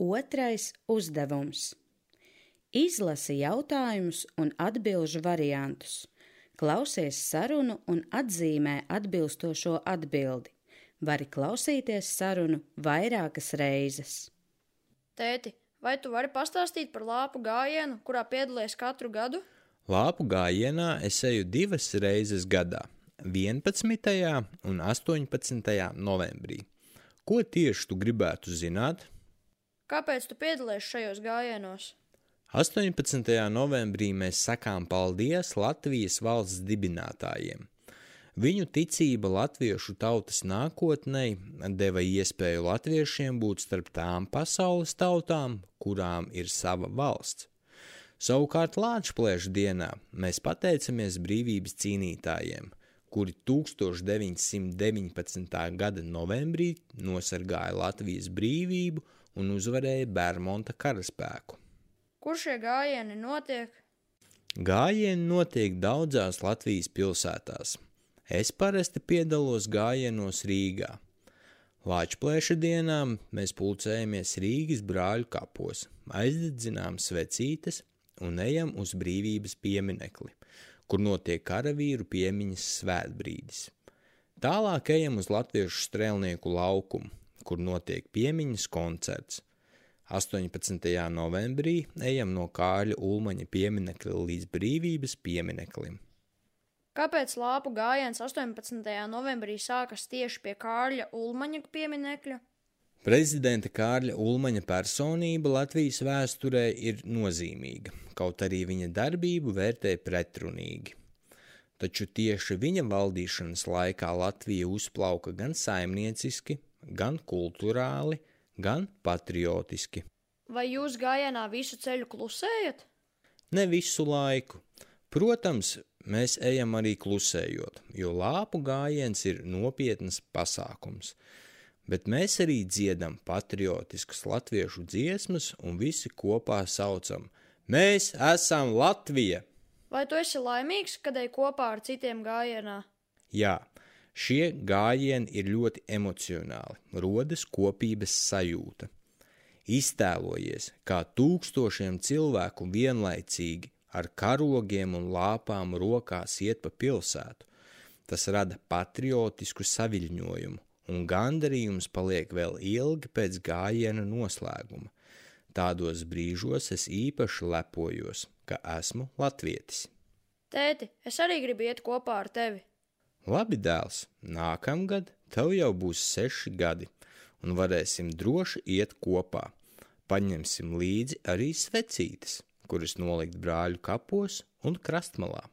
Otrais uzdevums. Izlasi jautājumus un atbilžu variantus. Klausies sarunu un atzīmē atbilstošo atbildi. Vari klausīties sarunu vairākas reizes. Tēti, vai tu vari pastāstīt par lāpu gājienu, kurā piedalies katru gadu? Lāpu gājienā es eju 2 reizes gadā – 11. un 18. novembrī. Ko tieši tu gribētu zināt? Kāpēc tu piedalies šajos gājienos? 18. novembrī mēs sakām paldies Latvijas valsts dibinātājiem. Viņu ticība latviešu tautas nākotnei deva iespēju latviešiem būt starp tām pasaules tautām, kurām ir sava valsts. Savukārt Lāčplēša dienā mēs pateicamies brīvības cīnītājiem, kuri 1919. gada novembrī nosargāja Latvijas brīvību un uzvarēja Bermonta karaspēku. Kur šie gājieni notiek? Gājieni notiek daudzās Latvijas pilsētās. Es parasti piedalos gājienos Rīgā. Lāčplēša dienā mēs pulcējamies Rīgas brāļu kapos, aizdedzinām svecītes un ejam uz brīvības pieminekli, kur notiek karavīru piemiņas svētbrīdis. Tālāk ejam uz Latviešu strēlnieku laukumu, kur notiek piemiņas koncerts. 18. novembrī ejam no Kārļa Ulmaņa pieminekļa līdz brīvības piemineklim. Kāpēc lāpu gājiens 18. novembrī sākas tieši pie Kārļa Ulmaņa pieminekļa? Prezidenta Kārļa Ulmaņa personība Latvijas vēsturē ir nozīmīga, kaut arī viņa darbību vērtē pretrunīgi. Taču tieši viņa valdīšanas laikā Latvija uzplauka gan saimnieciski, gan kulturāli, gan patriotiski. Vai jūs gājienā visu ceļu klusējat? Ne visu laiku. Protams, mēs ejam arī klusējot, jo lāpu gājiens ir nopietnas pasākums, bet mēs arī dziedam patriotiskas latviešu dziesmas un visi kopā saucam: Mēs esam Latvija! Vai tu esi laimīgs, kad ej kopā ar citiem gājienā? Jā, šie gājieni ir ļoti emocionāli, rodas kopības sajūta. Iztēlojies, kā tūkstošiem cilvēku vienlaicīgi ar karogiem un lāpām rokās iet pa pilsētu. Tas rada patriotisku saviļņojumu, un gandarījums paliek vēl ilgi pēc gājiena noslēguma. Tādos brīžos es īpaši lepojos, ka esmu latvietis. Tēti, es arī gribu iet kopā ar tevi. Labi, dēls, nākamgad tev jau būs 6 gadi, un varēsim droši iet kopā. Paņemsim līdzi arī svecītes, kuras nolikt brāļu kapos un krastmalā.